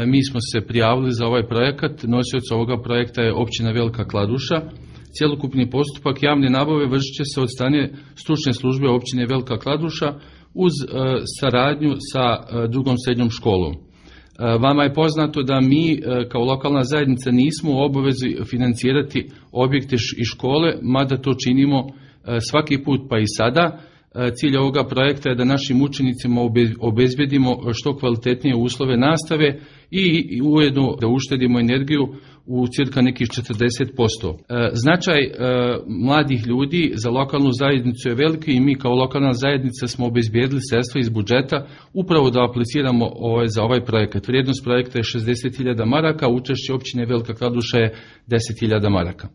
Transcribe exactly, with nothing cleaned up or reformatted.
mi smo se prijavili za ovaj projekat. Nosioc ovoga projekta je općina Velika Kladuša. Cjelokupni postupak javne nabave vršit će se od strane stručne službe općine Velika Kladuša uz saradnju sa drugom srednjom školom. Vama je poznato da mi kao lokalna zajednica nismo u obavezi financirati objekte i škole, mada to činimo svaki put pa i sada. Cilj ovoga projekta je da našim učenicima obezbedimo što kvalitetnije uslove nastave i ujedno da uštedimo energiju u cirka nekih četrdeset posto. Značaj mladih ljudi za lokalnu zajednicu je veliki i mi kao lokalna zajednica smo obezbedili sredstva iz budžeta upravo da apliciramo za ovaj projekat. Vrijednost projekta je šezdeset hiljada maraka, učešće općine Velika Kladuša je deset hiljada maraka.